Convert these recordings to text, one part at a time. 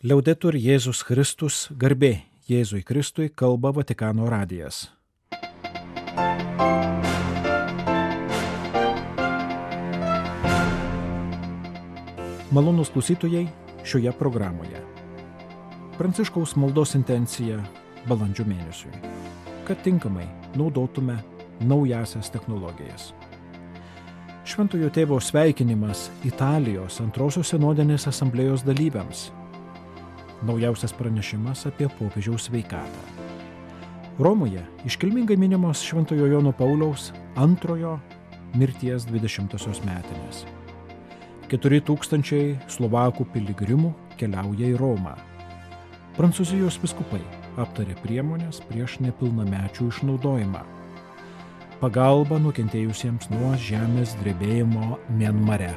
Liaudetur Jėzus Kristus, garbė Jėzui Kristui, kalba Vatikano radijas. Malonūs klausytojai šioje programoje. Pranciškaus maldos intencija balandžio mėnesiui, kad tinkamai naudotume naujasias technologijas. Šventojo tėvo sveikinimas Italijos antrosios sinodinės asamblėjos dalyviams. Naujausias pranešimas apie popiežiaus sveikatą. Romoje iškilmingai minimos Šventojo Jono Pauliaus antrojo mirties 20-osios metinės. 4000 Slovakų piligrimų keliauja į Romą. Prancūzijos vyskupai aptarė priemonės prieš nepilnamečių išnaudojimą. Pagalba nukentėjusiems nuo žemės drebėjimo Mianmare.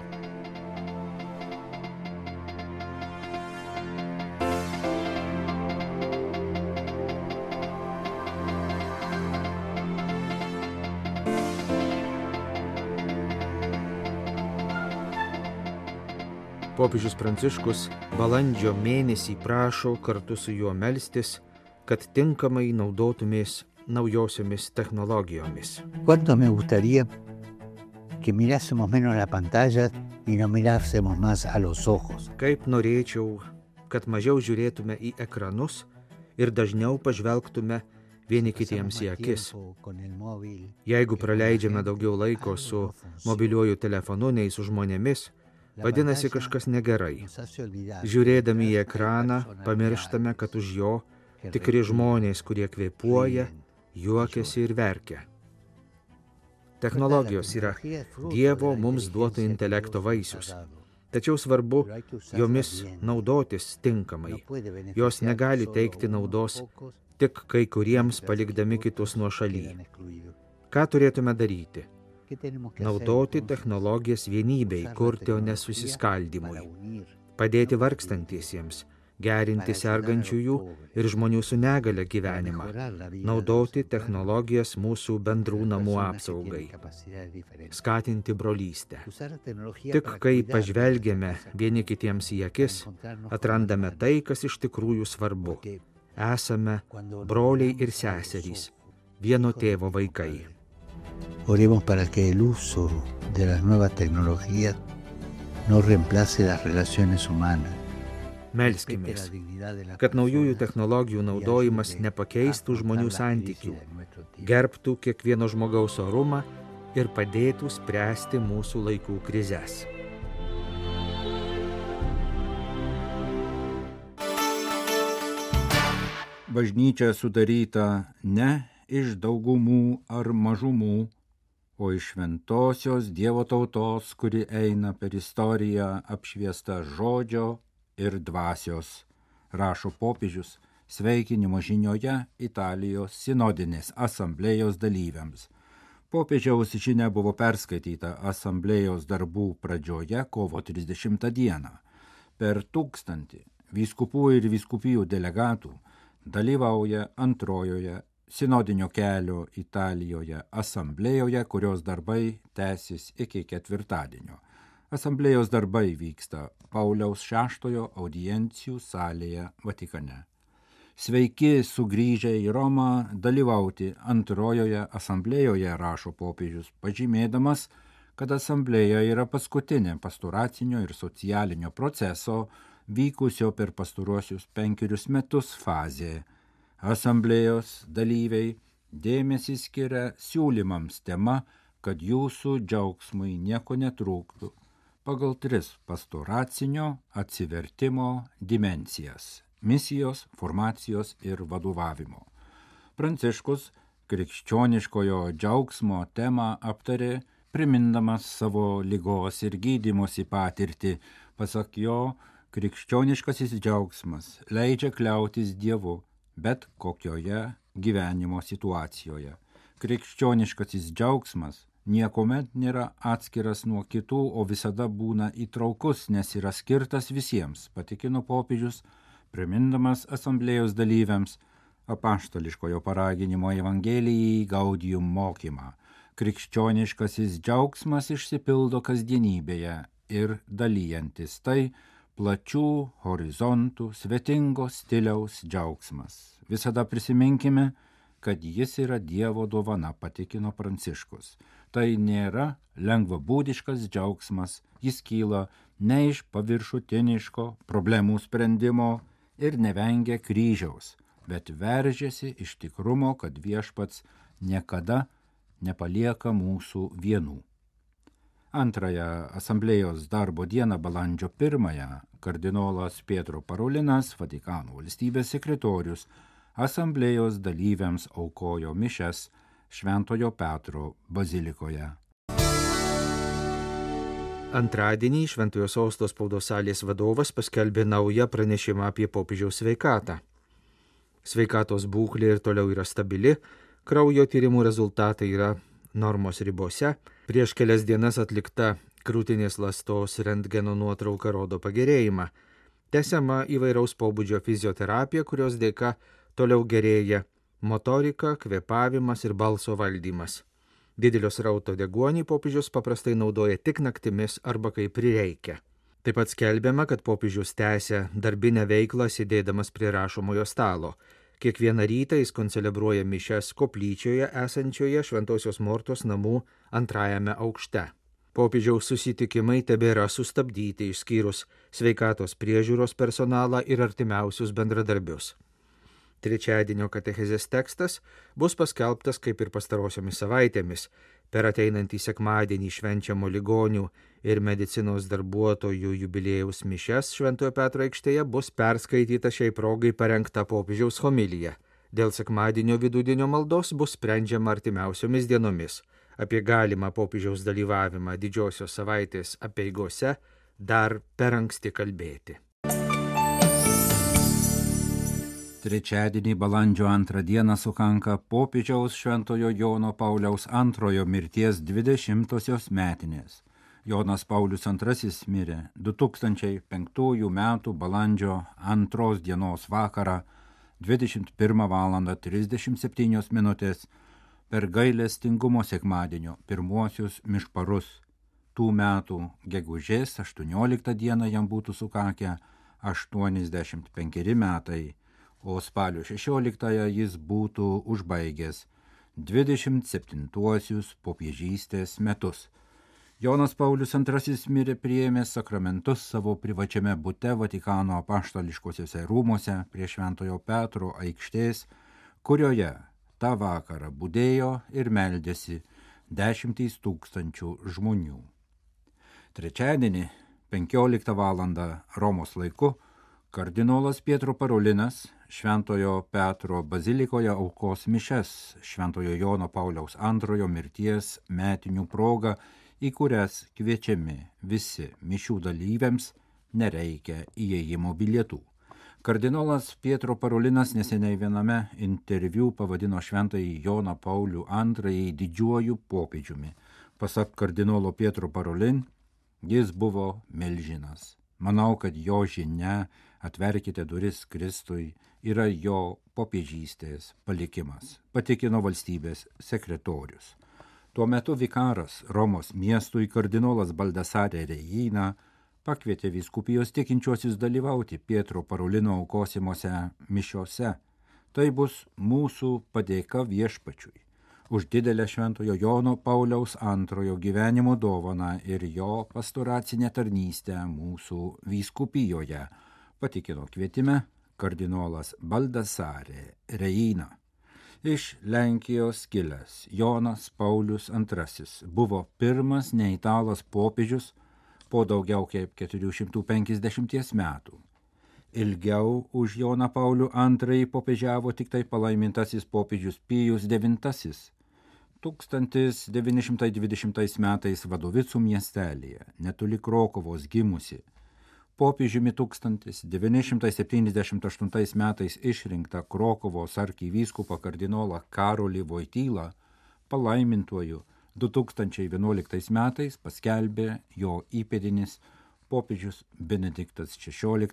Popiežius Pranciškus balandžio mėnesį prašo kartu su juo melstis, kad tinkamai naudotumės naujosiomis technologijomis. ¿Cuánto me gustaría que mirásemos menos la pantalla y no mirásemos más a los ojos? Kaip norėčiau, kad mažiau žiūrėtume į ekranus ir dažniau pažvelgtume vieni kitiems į akis. Jeigu praleidžiame daugiau laiko su mobiliuoju telefonu nei su žmonėmis, vadinasi kažkas negerai. Žiūrėdami į ekraną, pamirštame, kad už jo tikri žmonės, kurie kvėpuoja, juokiasi ir verkia. Technologijos yra Dievo mums duoto intelekto vaisius. Tačiau svarbu jomis naudotis tinkamai. Jos negali teikti naudos tik kai kuriems palikdami kitus nuošaly. Ką turėtume daryti? Naudoti technologijas vienybei, kurti, o ne susiskaldymui. Padėti vargstantiesiems, gerinti sergančiųjų ir žmonių su negale gyvenimą. Naudoti technologijas mūsų bendrų namų apsaugai. Skatinti brolystę. Tik kai pažvelgiame vieni kitiems į akis, atrandame tai, kas iš tikrųjų svarbu. Esame broliai ir seserys, vieno tėvo vaikai. Oremos para que el uso de las nuevas tecnologías no reemplace las relaciones humanas. Melskimės, kad naujųjų technologijų naudojimas nepakeistų žmonių santykių, gerbtų kiekvieno žmogaus orumą ir padėtų spręsti mūsų laikų krizes. Bažnyčia sudaryta ne iš daugumų ar mažumų, o iš šventosios Dievo tautos, kuri eina per istoriją apšviesta žodžio ir dvasios, rašo popiežius sveikinimo žinioje Italijos sinodinės asamblėjos dalyviams. Popiežiaus žinia buvo perskaityta asamblėjos darbų pradžioje kovo 30 dieną. Per 1000 vyskupų ir vyskupijų delegatų dalyvauja antrojoje sinodinio kelio Italijoje asamblėjoje, kurios darbai tęsis iki ketvirtadienio. Asamblėjos darbai vyksta Pauliaus VI audiencijų salėje Vatikane. Sveiki sugrįžę į Romą dalyvauti antrojoje asamblėjoje, rašo popiežius, pažymėdamas, kad asamblėja yra paskutinė pastoracinio ir socialinio proceso vykusio per pastaruosius 5 metus fazė. Asamblėjos dalyviai dėmesį skiria siūlymams tema, kad jūsų džiaugsmui nieko netrūktų, pagal 3 pastoracinio atsivertimo dimensijas – misijos, formacijos ir vadovavimo. Pranciškus krikščioniškojo džiaugsmo temą aptarė, primindamas savo ligos ir gydymosi patirtį. Pasak jo, krikščioniškasis džiaugsmas leidžia kliautis Dievu, bet kokioje gyvenimo situacijoje. Krikščioniškasis džiaugsmas niekuomet nėra atskiras nuo kitų, o visada būna įtraukus, nes yra skirtas visiems, patikino popiežius, primindamas asamblėjos dalyviams apaštališkojo paraginimo Evangelijai Gaudium mokymą. Krikščioniškasis džiaugsmas išsipildo kasdienybėje ir dalyjantis tai plačių horizontų, svetingo stiliaus džiaugsmas. Visada prisiminkime, kad jis yra Dievo dovana, patikino Pranciškus. Tai nėra lengvabūdiškas džiaugsmas, jis kyla ne iš paviršutiniško problemų sprendimo ir nevengia kryžiaus, bet veržiasi iš tikrumo, kad Viešpats niekada nepalieka mūsų vienų. Antrąją asamblėjos darbo dieną balandžio 1 kardinolas Pietro Parolinas, Vatikano valstybės sekretorius, asamblėjos dalyviams aukojo mišias Šventojo Petro bazilikoje. Antradienį Šventojo Sosto spaudos salės vadovas paskelbė naują pranešimą apie popiežiaus sveikatą. Sveikatos būklė ir toliau yra stabili, kraujo tyrimų rezultatai yra normos ribose, prieš kelias dienas atlikta krūtinės ląstos rentgeno nuotrauka rodo pagerėjimą. Tęsiama įvairaus pobūdžio fizioterapija, kurios dėka toliau gerėja motorika, kvėpavimas ir balso valdymas. Didelio srauto deguonį popiežius paprastai naudoja tik naktimis arba kai prireikia. Taip pat skelbiama, kad popiežius tęsia darbinę veiklą sėdėdamas prie rašomojo stalo. Kiekvieną rytą jis koncelebruoja mišias koplyčioje esančioje Šventosios Mortos namų 2 aukšte. Popiežiaus susitikimai tebėra sustabdyti išskyrus sveikatos priežiūros personalą ir artimiausius bendradarbius. Trečiadienio katechezės tekstas bus paskelbtas kaip ir pastarosiomis savaitėmis. Per ateinantį sekmadienį švenčiamo ligonių ir medicinos darbuotojų jubiliejaus mišias Šventojo Petro aikštėje bus perskaityta šiai progai parengta popiežiaus homilija. Dėl sekmadienio vidudienio maldos bus sprendžiama artimiausiomis dienomis. Apie galimą popiežiaus dalyvavimą didžiosios savaitės apeigose dar per anksti kalbėti. Trečiadienį balandžio 2 dieną sukanka popiežiaus Šventojo Jono Pauliaus II mirties 20-osios metinės. Jonas Paulius II mirė 2005 metų balandžio 2 dienos vakarą 21:37 per gailestingumo sekmadienio pirmuosius mišparus. Tų metų gegužės 18 dieną jam būtų sukakę 85 metai, o spalio 16 jis būtų užbaigęs 27-uosius popiežystės metus. Jonas Paulius II mirė priėmęs sakramentus savo privačiame bute Vatikano apaštališkosiuose rūmuose prie Šventojo Petro aikštės, kurioje tą vakarą budėjo ir meldėsi 10 000 žmonių. Trečiadienį 15 valandą Romos laiku kardinolas Pietro Parolinas Šventojo Petro bazilikoje aukos mišias Šventojo Jono Pauliaus II mirties metinių proga, į kurias kviečiami visi mišių dalyviams, nereikia įėjimo bilietų. Kardinolas Pietro Parolinas neseniai viename interviu pavadino Šventąjį Joną Paulių II didžiuoju popiežiumi. Pasak kardinolo Pietro Parolin, jis buvo milžinas. Manau, kad jo žinia "Atverkite duris Kristui" yra jo popiežystės palikimas, patikino valstybės sekretorius. Tuo metu vikaras Romos miestui kardinolas Baldassare Reina pakvietė vyskupijos tikinčiuosius dalyvauti Pietro Parolino aukosimuose mišiose. Tai bus mūsų padėka Viešpačiui už didelę Šventojo Jono Pauliaus II gyvenimo dovaną ir jo pastoracinę tarnystę mūsų vyskupijoje, patikino kvietime kardinolas Baldassare Reina. Iš Lenkijos kilęs Jonas Paulius II buvo pirmas neitalas popiežius po daugiau kaip 450 metų. Ilgiau už Joną Paulių II popiežiavo tik tai palaimintasis popiežius Pijus IX. 1920 metais Vadovicų miestelėje, netoli Krokuvos gimusi, popiežiumi 1978 metais išrinktą Krokuvos arkivyskupą kardinolą Karolį Vojtylą palaimintuoju 2011 metais paskelbė jo įpėdinis popiežius Benediktas XVI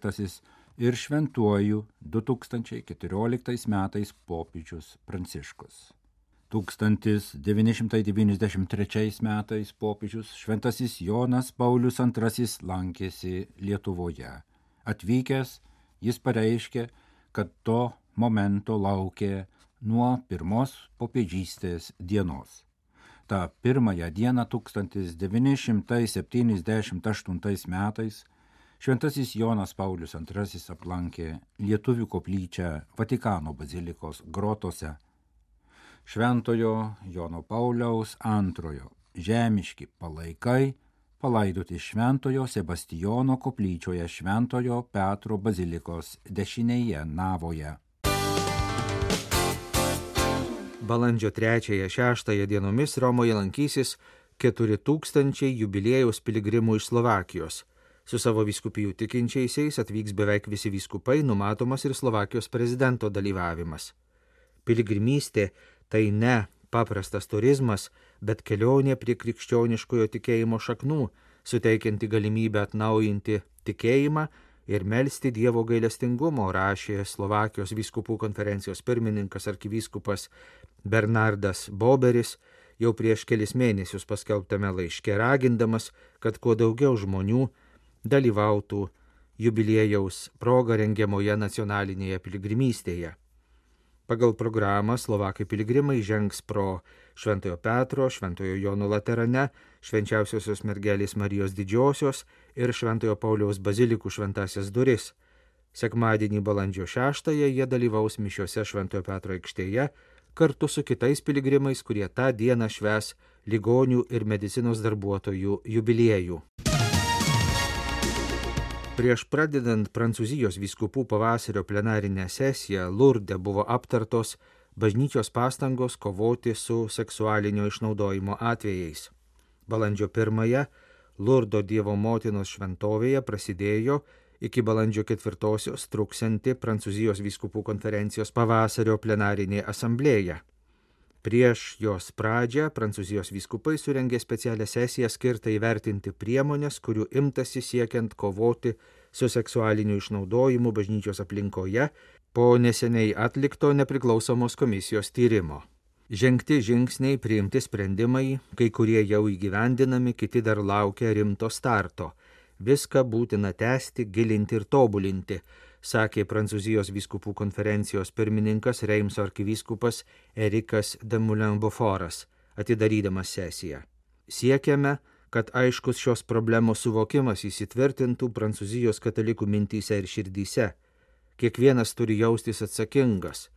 ir šventuoju 2014 metais popiežius Pranciškus. 1993 metais popiežius Šventasis Jonas Paulius II lankėsi Lietuvoje. Atvykęs, jis pareiškė, kad to momento laukė nuo pirmos popiežystės dienos. Ta pirmąją dieną 1978 metais šventasis Jonas Paulius II aplankė Lietuvių koplyčią Vatikano bazilikos grotose. Šventojo Jono Pauliaus II žemiški palaikai palaidoti Šventojo Sebastijono koplyčioje Šventojo Petro bazilikos dešinėje navoje. Balandžio 3-6 dienomis Romoje lankysis 4000 jubiliejaus piligrimų iš Slovakijos. Su savo vyskupijų tikinčiaisiais atvyks beveik visi vyskupai, numatomas ir Slovakijos prezidento dalyvavimas. Piligrimystė tai ne paprastas turizmas, bet kelionė prie krikščioniškojo tikėjimo šaknų, suteikianti galimybę atnaujinti tikėjimą ir melsti Dievo gailestingumo, rašė Slovakijos vyskupų konferencijos pirmininkas arkivyskupas Bernardas Boberis jau prieš kelis mėnesius paskelbtame laiške, ragindamas, kad kuo daugiau žmonių dalyvautų jubiliejaus proga rengiamoje nacionalinėje piligrimystėje. Pagal programą slovakai piligrimai žengs pro Šventojo Petro, Šventojo Jono Laterane, Švenčiausiosios mergelės Marijos Didžiosios ir Šventojo Pauliaus bazilikų šventasias duris. Sekmadienį balandžio 6 jie dalyvaus mišiose Šventojo Petro aikštėje kartu su kitais piligrimais, kurie tą dieną švęs ligonių ir medicinos darbuotojų jubiliejų. Prieš pradedant Prancūzijos vyskupų pavasario plenarinę sesiją Lurde buvo aptartos bažnyčios pastangos kovoti su seksualinio išnaudojimo atvejais. Balandžio 1 Lurdo Dievo motinos šventovėje prasidėjo iki balandžio 4 truksianti Prancūzijos vyskupų konferencijos pavasario plenarinė asamblėja. Prieš jos pradžią Prancūzijos vyskupai surengė specialią sesiją skirtą įvertinti priemonės, kurių imtasi siekiant kovoti su seksualiniu išnaudojimu bažnyčios aplinkoje po neseniai atlikto nepriklausomos komisijos tyrimo. Žengti žingsniai, priimti sprendimai, kai kurie jau įgyvendinami, kiti dar laukia rimto starto. Viską būtina tęsti, gilinti ir tobulinti, sakė Prancūzijos vyskupų konferencijos pirmininkas Reimso arkivyskupas Erikas de Moulin-Beaufortas, atidarydamas sesiją. Siekiame, kad aiškus šios problemos suvokimas įsitvirtintų Prancūzijos katalikų mintyse ir širdyse. Kiekvienas turi jaustis atsakingas.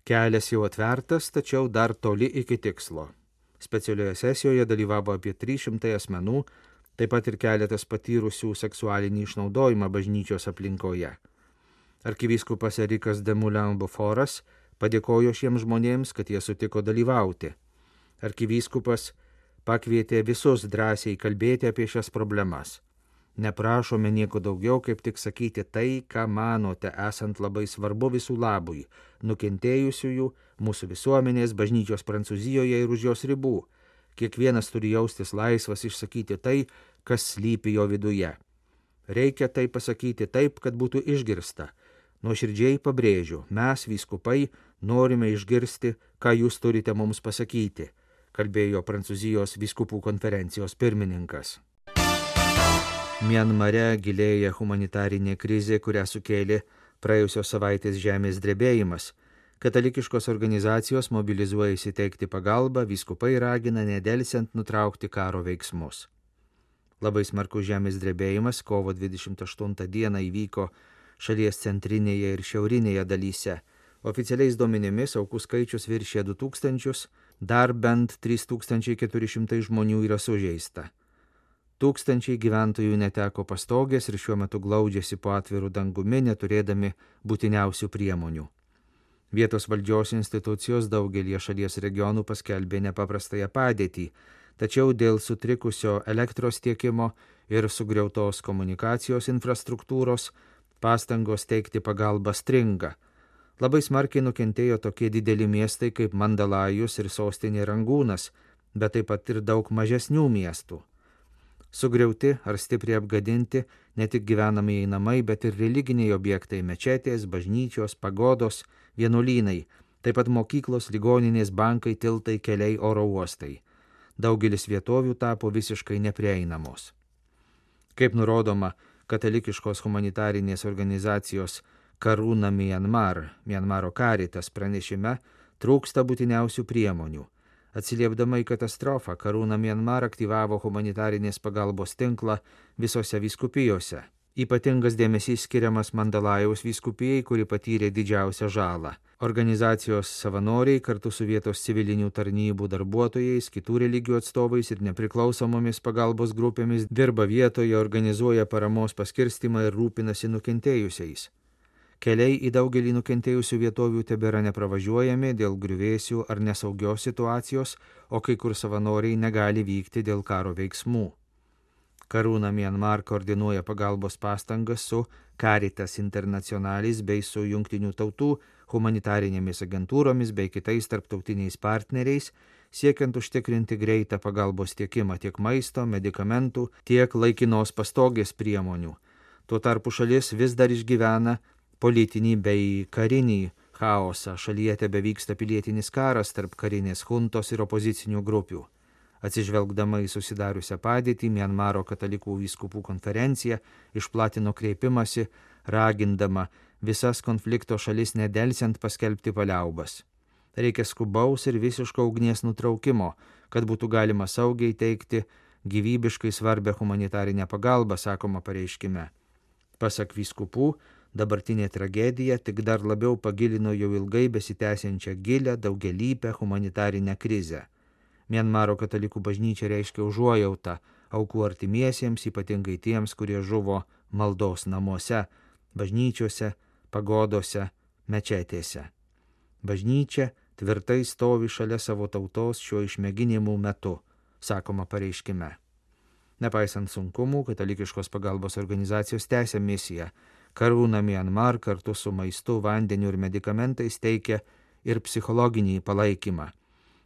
Kelias jau atvertas, tačiau dar toli iki tikslo. Specialioje sesijoje dalyvavo apie 300 asmenų, taip pat ir keletas patyrusių seksualinį išnaudojimą bažnyčios aplinkoje. Arkivyskupas Erikas de Moulin-Beaufortas padėkojo šiems žmonėms, kad jie sutiko dalyvauti. Arkivyskupas pakvietė visus drąsiai kalbėti apie šias problemas. Neprašome nieko daugiau, kaip tik sakyti tai, ką manote, esant labai svarbu visų labui, nukentėjusiųjų, mūsų visuomenės, bažnyčios Prancūzijoje ir už jos ribų. Kiekvienas turi jaustis laisvas išsakyti tai, kas slypi jo viduje. Reikia tai pasakyti taip, kad būtų išgirsta. Nuoširdžiai pabrėžiu, mes, vyskupai, norime išgirsti, ką jūs turite mums pasakyti, kalbėjo Prancūzijos vyskupų konferencijos pirmininkas. Mianmare gilėja humanitarinė krizė, kurią sukėlė praėjusios savaitės žemės drebėjimas. Katalikiškos organizacijos mobilizuojasi teikti pagalbą, vyskupai ragina nedelsiant nutraukti karo veiksmus. Labai smarkus žemės drebėjimas kovo 28 dieną įvyko šalies centrinėje ir šiaurinėje dalyse. Oficialiais duomenimis aukų skaičius viršė 2000, dar bent 3400 žmonių yra sužeista. Tūkstančiai gyventojų neteko pastogės ir šiuo metu glaudžiasi po atviru dangumi, neturėdami būtiniausių priemonių. Vietos valdžios institucijos daugelie šalies regionų paskelbė nepaprastąją padėtį, tačiau dėl sutrikusio elektros tiekimo ir sugriautos komunikacijos infrastruktūros pastangos teikti pagalbą stringa. Labai smarkiai nukentėjo tokie dideli miestai kaip Mandalajus ir sostinė Rangūnas, bet taip pat ir daug mažesnių miestų. Sugriauti ar stipriai apgadinti ne tik gyvenamieji namai, bet ir religiniai objektai, mečetės, bažnyčios, pagodos, vienuolynai, taip pat mokyklos, ligoninės, bankai, tiltai, keliai, oro uostai. Daugelis vietovių tapo visiškai neprieinamos. Kaip nurodoma katalikiškos humanitarinės organizacijos Karūna Mianmaro Caritas pranešime trūksta būtiniausių priemonių. Atsiliepdama į katastrofą, Karūna Mianmar aktyvavo humanitarinės pagalbos tinklą visose vyskupijose. Ypatingas dėmesys skiriamas Mandalajaus vyskupijai, kuri patyrė didžiausią žalą. Organizacijos savanoriai kartu su vietos civilinių tarnybų darbuotojais, kitų religijų atstovais ir nepriklausomomis pagalbos grupėmis dirba vietoje, organizuoja paramos paskirstimą ir rūpinasi nukentėjusiais. Keliai į daugelį nukentėjusių vietovių tebėra nepravažiuojami dėl griuvėsių ar nesaugios situacijos, o kai kur savanoriai negali vykti dėl karo veiksmų. Karūna Mianmar koordinuoja pagalbos pastangas su Caritas Internationalis bei su Jungtinių tautų humanitarinėmis agentūromis bei kitais tarptautiniais partneriais, siekiant užtikrinti greitą pagalbos tiekimą tiek maisto, medikamentų, tiek laikinos pastogės priemonių. Tuo tarpu šalis vis dar išgyvena politinį bei karinį chaosą. Šalyje tebevyksta pilietinis karas tarp karinės huntos ir opozicinių grupių. Atsižvelgdama į susidariusią padėtį, Mianmaro katalikų vyskupų konferencija išplatino kreipimąsi, ragindama visas konflikto šalis nedelsiant paskelbti paliaubas. Reikia skubaus ir visiško ugnies nutraukimo, kad būtų galima saugiai teikti gyvybiškai svarbę humanitarinę pagalbą, sakoma pareiškime. Pasak vyskupų, dabartinė tragedija tik dar labiau pagilino jau ilgai besitęsiančią gilią daugialypę humanitarinę krizę. Mianmaro katalikų bažnyčia reiškia užuojautą aukų artimiesiems, ypatingai tiems, kurie žuvo maldos namuose, bažnyčiose, pagodose, mečetėse. Bažnyčia tvirtai stovi šalia savo tautos šiuo išmėginimų metu, sakoma pareiškime. Nepaisant sunkumų, katalikiškos pagalbos organizacijos tęsia misiją. Karūna Mianmar kartu su maistu, vandeniu ir medikamentais teikia ir psichologinį palaikymą.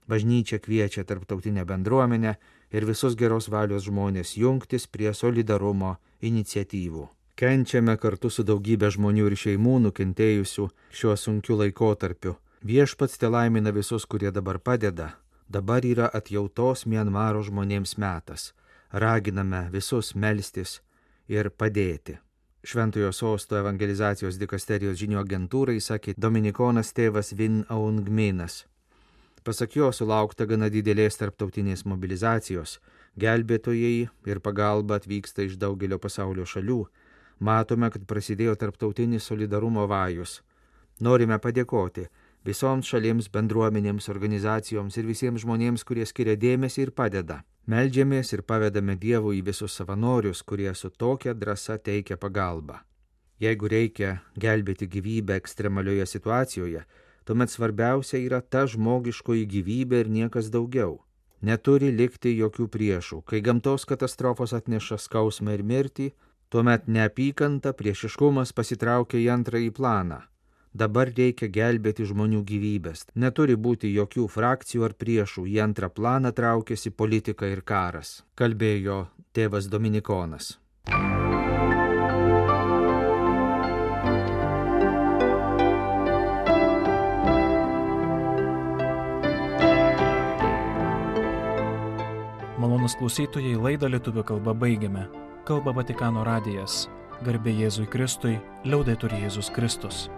Bažnyčia kviečia tarptautinę bendruomenę ir visus geros valios žmonės jungtis prie solidarumo iniciatyvų. Kenčiame kartu su daugybė žmonių ir šeimų nukentėjusių šiuo sunkiu laikotarpiu. Viešpats telaimina visus, kurie dabar padeda. Dabar yra atjautos Mianmaro žmonėms metas. Raginame visus melstis ir padėti. Šventojo Sosto evangelizacijos dikasterijos žinių agentūrai sakė dominikonas tėvas Vin Aung Minas. Pasak jo sulaukta gana didelės tarptautinės mobilizacijos. Gelbėtojai ir pagalba atvyksta iš daugelio pasaulio šalių. Matome, kad prasidėjo tarptautinis solidarumo vajus. Norime padėkoti visoms šalims, bendruomenėms, organizacijoms ir visiems žmonėms, kurie skiria dėmesį ir padeda. Meldžiamės ir pavedame Dievui į visus savanorius, kurie su tokia drąsa teikia pagalbą. Jeigu reikia gelbėti gyvybę ekstremalioje situacijoje, tuomet svarbiausia yra ta žmogiškoji gyvybė ir niekas daugiau. Neturi likti jokių priešų. Kai gamtos katastrofos atneša skausmą ir mirtį, tuomet neapykanta, priešiškumas pasitraukia į antrąjį planą. Dabar reikia gelbėti žmonių gyvybės. Neturi būti jokių frakcijų ar priešų. Į antrą planą traukiasi politika ir karas, kalbėjo tėvas Dominikonas. Malonūs klausytojai, laidą lietuvių kalba baigiame. Kalba Vatikano radijas. Garbė Jėzui Kristui, liaudetur Jėzus Kristus.